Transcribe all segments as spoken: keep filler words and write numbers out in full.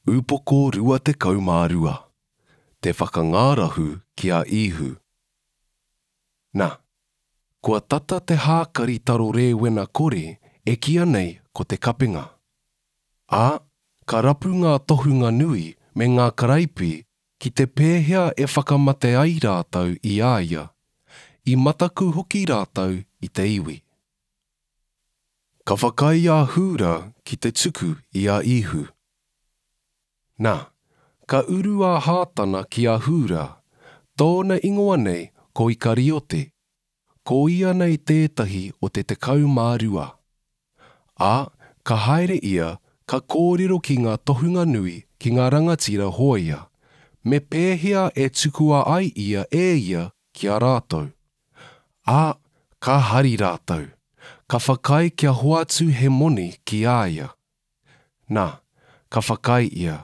Upoko rua tekau mā rua. Te whakangārahu ki a Īhu. Na, kua tata te hākari taro rēwena kore e kīia nei ko te kapenga. Ā, ka rapu ngā tohunga nui me ngā karaipi ki te pēhea e whakamate ai rātou i a ia. I mataku hoki rātou i te iwi. Ka whakaae a Hūra ki te tuku i a Īhu. Na, ka uru a Hātana ki a Hūra, tōna ingoa nei ko Ikariote, ko ia nei tētahi o te tekau mā rua. Ā, ka haere ia, ka kōrero ki ngā tohunga nui, ki ngā rangatira hōia, me pēhea e tukua ai ia e ia ki a rātou. Ā, ka hari rātou, ka whakaae kia hoatu he moni ki a ia. Na, ka whakaae ia,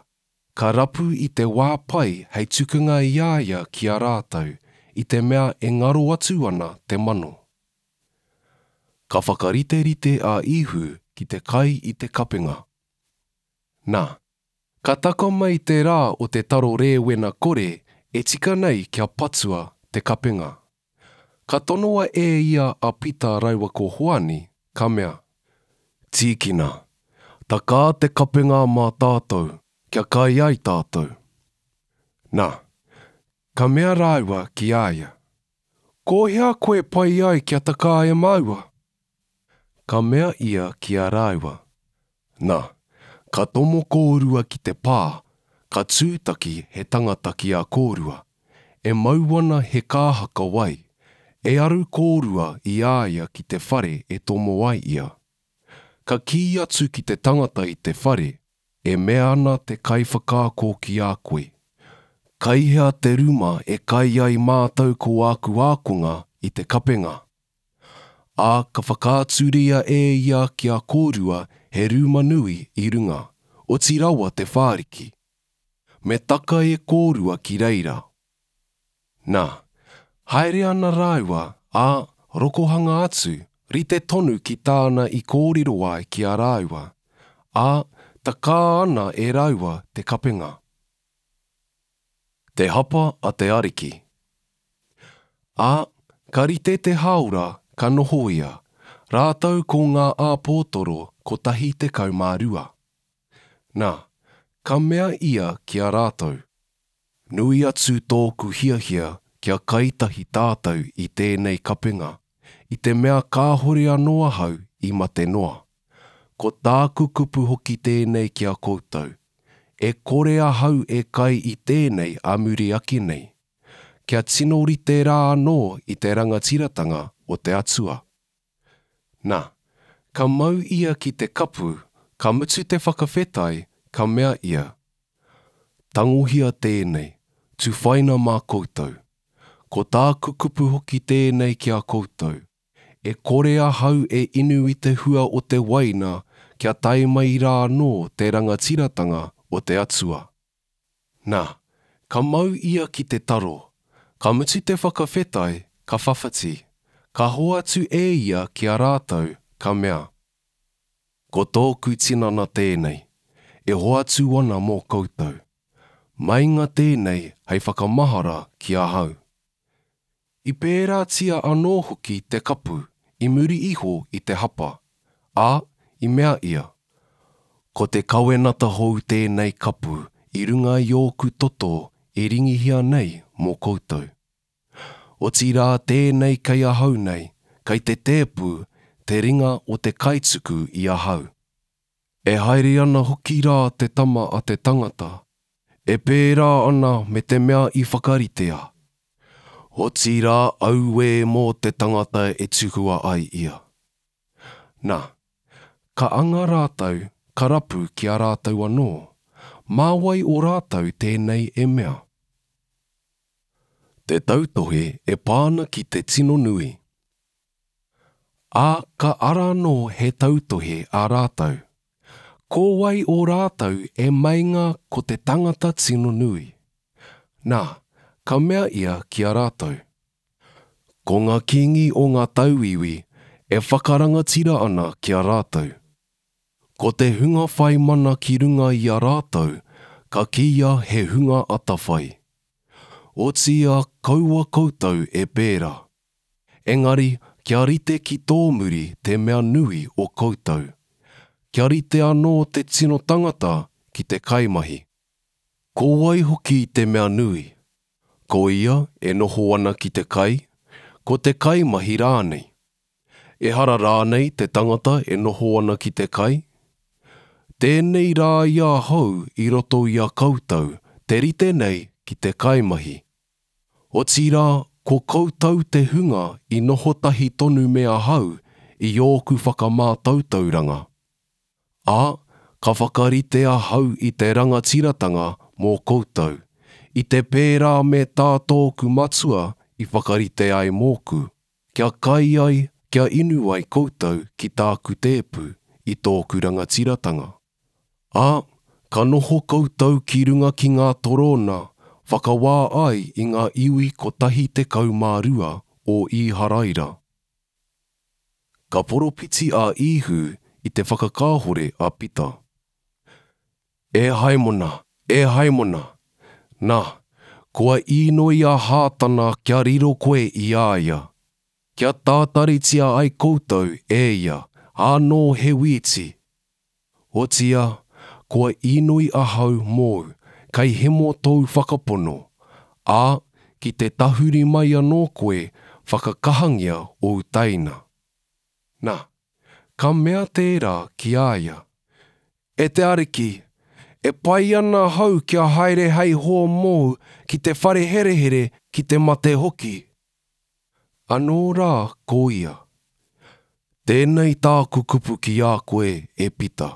ka rapu i te wā pai hei tukunga i a ia ki a rātou, i te mea e ngaro atu ana te mano. Ka whakariterite a Īhu ki te kai i te kapenga. Na, ka taka mai te rā o te taro rēwena kore e tika nei kia patua te kapenga. Ka tonoa e ia a Pita rāua ko Hoani, ka mea, Tīkina, takā te kapenga mā tātou, kia kai ai tātou. Na, ka mea rāua ki a ia, Ko hea koe pai ai kia takā e māua? Ka mea ia ki a rāua, Na, ka tomo kōrua ki te pā, ka tūtaki he tangata ki a kōrua, e mau ana he kāhaka wai, e aru kōrua i a ia ki te whare e tomo ai ia. Ka kī atu ki te tangata i te whare, e mea ana te kaiwhakaako ki a koe, Kai hea te ruma e kai ai mātou ko āku ākonga i te kapenga? Ā, ka whakaaturia e ia ki a kōrua he ruma nui i runga, oti rawa te whāriki. Me taka e kōrua ki reira. Na, haere ana rāua, ā, rokohanga atu, rite tonu ki tāna i kōrero ai ki a rāua, ā, takā ana e rāua te kapenga. Te hapa a te Ariki. Ā, ka rite te hāora ka noho ia, rātou ko ngā āpōtoro kotahi tekau mā rua. Na, ka mea ia ki a rātou, Nui atu tōku hiahia kia kai tahi tātou i tēnei kapenga, i te mea kāhore anō ahau i mate noa. Ko tāku kupu hoki tēnei ki a koutou, e kore ahau e kai i tēnei a muri ake nei, kia tino rite rā anō i te rangatiratanga o te Atua. Na, ka mau ia ki te kapu, ka mutu te whakawhetai, ka mea ia, Tangohia tēnei, tuwhaina mā koutou. Ko tāku kupu hoki tēnei ki a koutou, e kore ahau e inu i te hua o te waina kia tae mai rā anō te rangatiratanga o te Atua. Na, ka mau ia ki te taro, ka mutu te whakawhetai, ka whawhati, ka hoatu e ia ki a rātou, ka mea, Ko tōku tinana tēnei, e hoatu ana mō koutou. Meinga tēnei hei whakamahara ki ahau. I pērātia anō hoki te kapu i muri iho i te hapa, ā, i mea ia, Ko te kawenata hou tēnei kapu i runga i ōku toto e ringihia nei mō koutou. Otirā tēnei kei ahau nei, kei te tēpu, te ringa o te kaituku i ahau. E haere ana hoki rā te Tama a te tangata, e pērā ana me te mea i whakaritea. Otirā auē mō te tangata e tukua ai ia. Na, ka anga rātou, ka rapu ki a rātou anō, mā wai o rātou tēnei e mea? Te tautohe e pā ana ki te tino nui. Ā, ka ara anō he tautohe a rātou. Ko wai o rātou e meinga ko te tangata tino nui? Na, ka mea ia ki a rātou, Ko ngā kīngi o ngā tauiwi e whakarangatira ana ki a rātou. Ko te hunga whai mana ki runga i a rātou, ka kīia he hunga atawhai. Otiia kaua koutou e pērā. Engari, kia rite ki tō muri te mea nui o koutou. Kia rite anō te tino tangata ki te kaimahi. Ko wai hoki te mea nui? Ko ia e noho ana ki te kai, ko te kaimahi rānei. Ehara rānei te tangata e noho ana ki te kai? Tēnei rā i ahau i roto i a koutou, te rite nei ki te kaimahi. Otirā, ko koutou te hunga i noho tahi tonu me ahau i ōku whakamātautauranga. Ā, ka whakarite ahau i te rangatiratanga mō koutou, i te pērā me tā tōku matua i whakarite ai mōku, kia kai ai, kia inu ai koutou ki tāku tēpu i tōku rangatiratanga. Ā, ka noho koutou ki runga ki ngā torōna, whakawā ai i ngā iwi kotahi tekau mā rua o Īharaira. Ka poropiti a Īhu i te whakakāhore a Pita. E Haimona, e Haimona, nā, kua īnoi a Hātana kia riro koe i a ia, kia tātaritia ai koutou e ia, ānō he wīti. Otiia, kua īnoi ahau mōu, kei hemo tōu whakapono, ā, ki te tahuri mai anō koe whakakahangia ōu teina. Nā, ka mea tērā ki a ia, E te Ariki, e pai ana ahau kia haere hei hoa mōu ki te whare herehere ki te mate hoki. Anō rā ko ia, Tēnei tāku kupu ki a koe, e Pita.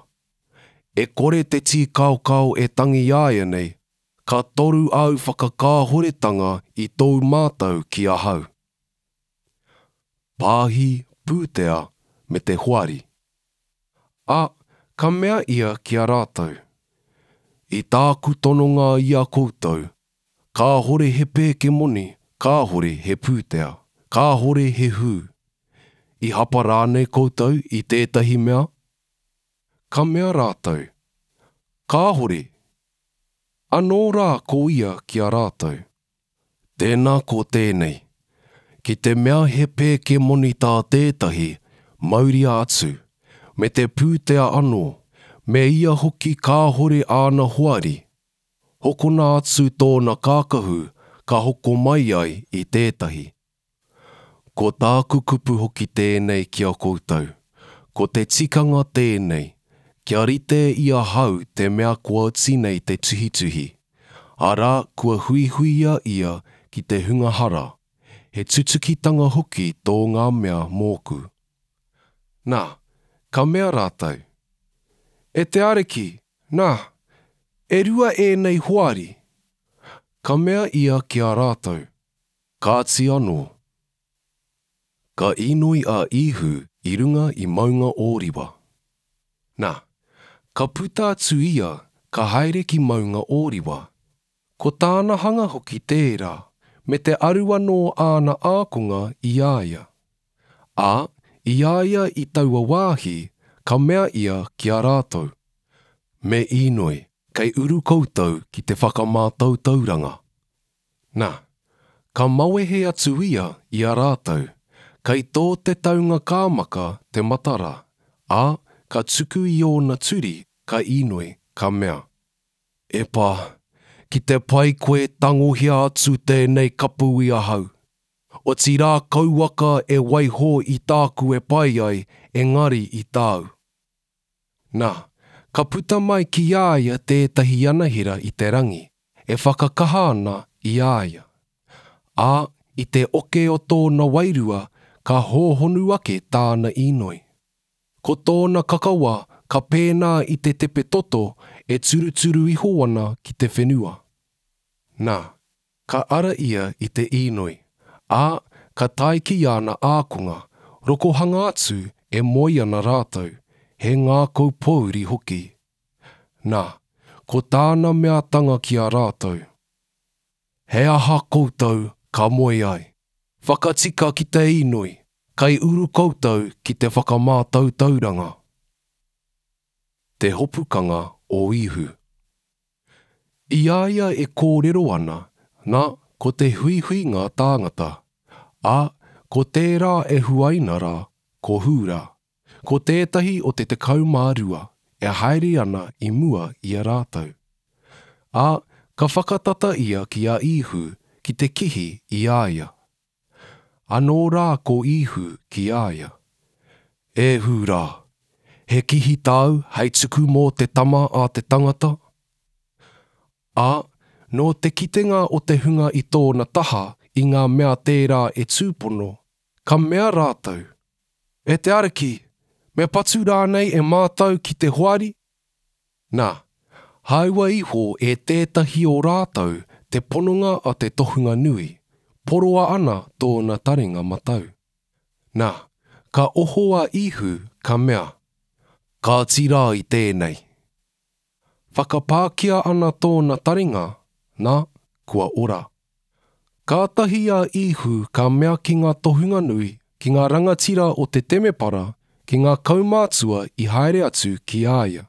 E kore te tīkaokao e tangi āianei, ka toru āu whakakāhoretanga i tōu mātau ki ahau. Pāhi, pūtea, me te hoari. Ā, ka mea ia ki a rātou, I tāku tononga i a koutou, kāhore he pēke moni, kāhore he pūtea, kāhore he hū. I hapa rānei koutou i tētahi mea? Ka mea rātou, Kāhore. Anō rā ko ia ki a rātou, Tēnā ko tēnei, ki te mea he pēke moni tā tētahi, mauria atu, me te pūtea anō, me ia hoki kāhore āna hoari. Hokona atu tōna kākahu ka hoko mai ai i tētahi. Ko tāku kupu hoki tēnei ki a koutou, ko te tikanga tēnei, kia rite i ahau te mea kua oti nei te tuhituhi, arā kua huihuia ia ki te hunga hara, he tutukitanga hoki tō ngā mea mōku. Nā, ka mea rātou, E te Ariki, nā, e rua ēnei hoari. Ka mea ia ki a rātou, Kāti anō. Ka īnoi a Īhu i runga i Maunga Ōriwa. Nā, ka puta atu ia, ka haere ki Maunga Ōriwa. Ko tāna hanga hoki tērā, me te aru anō āna ākonga i a ia. Ā, i a ia i taua wāhi, ka mea ia ki a rātou, Me īnoi, kei uru koutou ki te whakamātautauranga. Nā, ka mawehe atu ia i a rātou, kei tō te taunga kāmaka te matara, ā, ka tuku i ōna turi, ka īnoi, ka mea, E Pā, ki te pai koe tangohia atu tēnei kapu i ahau. Otirā kauaka e waiho i tāku e pai ai, engari i tāu. Nā, ka puta mai ki a ia tētahi anahera i te rangi, e whakakaha ana i a ia. Ā, i te oke o tōna wairua, ka hōhonu ake tāna īnoi. Ko tōna kakawa ka pēnā i te tepe toto e turuturu iho ana ki te whenua. Nā, ka ara ia i te īnoi, ā, ka tae ki āna ākonga, rokohanga atu e moe ana rātou, he ngākau pōuri hoki. Nā, ko tāna meatanga ki a rātou, He aha koutou ka moe ai? Whakatika ki te īnoi, kei uru koutou ki te whakamātautauranga. Te hopukanga o Īhu. I a ia e kōrero ana, na, ko te huihuinga tāngata, ā, ko tērā e huaina rā, ko Hūrā, ko tētahi o te tekau mā rua, e haere ana i mua i a rātou. Ā, ka whakatata ia ki a Īhu ki te kihi i a ia. Anō rā ko Īhu ki a ia, E Hūrā, he kihi tāu hei tuku mō te Tama a te tangata? Ā, nō te kitenga o te hunga i tōna taha i ngā mea tērā e tūpono, ka mea rātou, E te Ariki, me patu rānei e mātou ki te hoari? Nā, hāua iho e tētahi o rātou te pononga a te tohunga nui, poroa ana tōna taringa matau. Nā, ka oho a Īhu, ka mea, Kāti rā i tēnei. Whakapākia ana tōna taringa, nā, kua ora. Kātahi a Īhu ka mea ki ngā tohunga nui, ki ngā rangatira o te temepara, ki ngā kaumātua i haere atu ki a ia.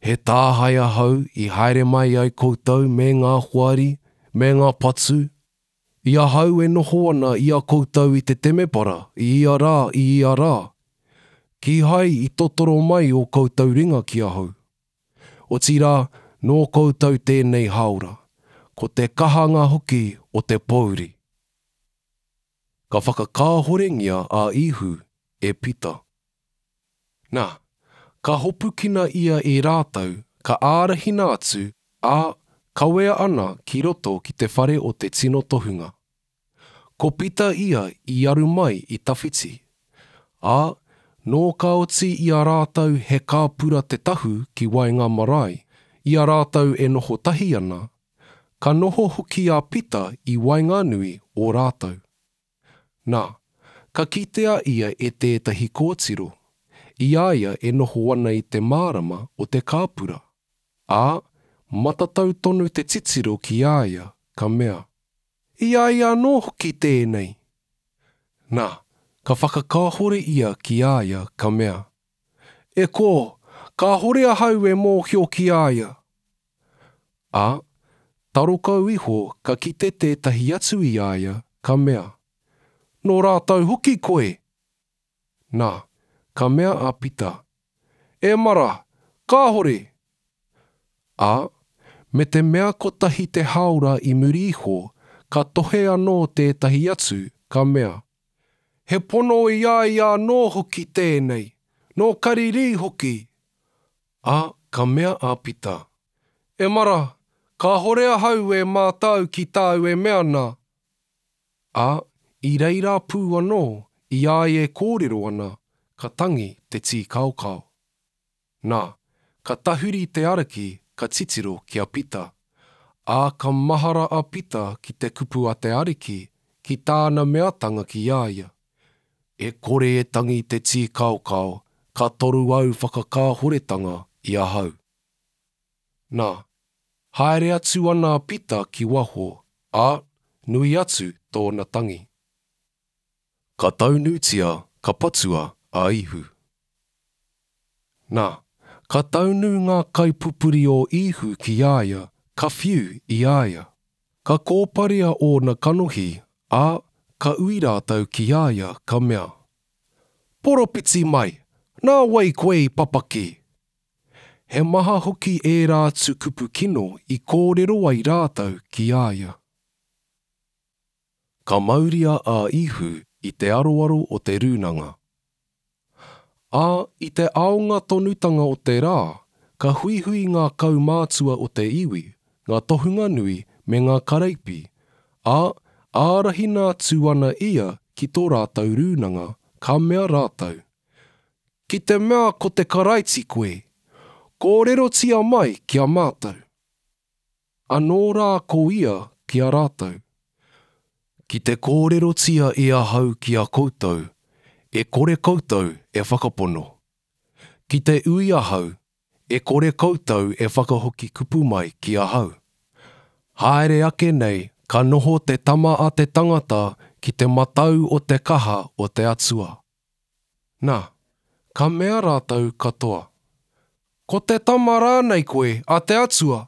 He tāhae ahau i haere mai ai koutou me ngā hoari, me ngā patu, i ahau e noho ana i a koutou i te temepara i ia rā, i ia rā. Kīhai i totoro mai ō koutou ringa ki ahau. Otirā, nō koutou tēnei hāora, ko te kahanga hoki o te pōuri. Ka whakakāhorengia a Īhu e Pita. Nā, ka hopukina ia e rātou, ka ārahina atu, ā, kawea ana ki roto ki te whare o te tino tohunga. Ko Pita ia i aru mai i tawhiti. Ā, nō ka oti i a rātou he kāpura te tahu ki waenga marae, i a rātou e noho tahi ana, ka noho hoki a Pita i waenganui o rātou. Nā, ka kitea ia e tētahi kōtiro, i a ia e noho ana i te mārama o te kāpura. Ā, matatau tonu te titiro ki a ia, ka mea, I a ia anō hoki tēnei. Nā, ka whakakāhore ia ki a ia, ka mea, E kō, kāhore ahau e mōhio ki a ia. Ā, taro kau iho ka kite tētahi atu i a ia, ka mea, Nō rātou hoki koe. Nā, ka mea a Pita, E mara, kāhore! Ā, me te mea kotahi te hāora i muri iho, ka tohe anō tētahi atu, ka mea, He pono i a ia anō hoki tēnei, nō Karirī hoki. Ā, ka mea a Pita, E mara, kāhore ahau e mātau ki tāu e mea nā. Ā, i reira pū anō, i a ia e kōrero ana, ka tangi te tīkaokao. Nā, ka tahuri te Ariki, ka titiro ki a Pita. Ā, ka mahara a Pita ki te kupu a te Ariki, ki tāna meatanga ki a ia. E kore e tangi te tīkaokao, ka toru au whakakāhoretanga i ahau. Nā, haere atu ana a Pita ki waho, ā, nui atu tōna tangi. Ka taunutia, ka patua a Īhu. Nā, ka taunu ngā kaipupuri o Īhu ki a ia, ka whiu i a ia. Ka kōparea ōna kanohi, ā, ka ui rātou ki a ia, ka mea, Poropiti mai, nā wai koe i papaki? He maha hoki ērā atu kupu kino i kōrero ai rātou ki a ia. Ka mauria a Īhu i te aroaro o te rūnanga. Ā, i te aonga tonutanga o te rā, ka huihui ngā kaumātua o te iwi, ngā tohunga nui me ngā karaipi, ā, ārahina atu ana ia ki tō rātou rūnanga, ka mea rātou, Ki te mea ko te Karaiti koe, kōrerotia mai ki a mātou. Anō rā ko ia ki a rātou, Ki te kōrerotia e ahau ki a koutou, e kore koutou e whakapono. Ki te ui ahau, e kore koutou e whakahoki kupu mai ki ahau. Haere ake nei ka noho te Tama a te tangata ki te matau o te kaha o te Atua. Nā, ka mea rātou katoa, Ko te Tama rānei koe a te Atua?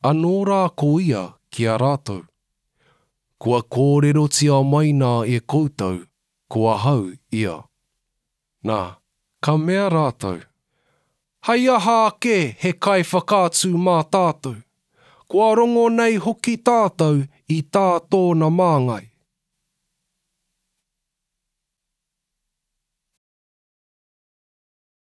Anō rā ko ia ki a rātou, Kua kōrerotia mai nā e koutou, ko ahau ia. Nā, ka mea rātou, Hei aha ake he kaiwhakaatu mā tātou? Kua rongo nei hoki tātou i tā tōna māngai.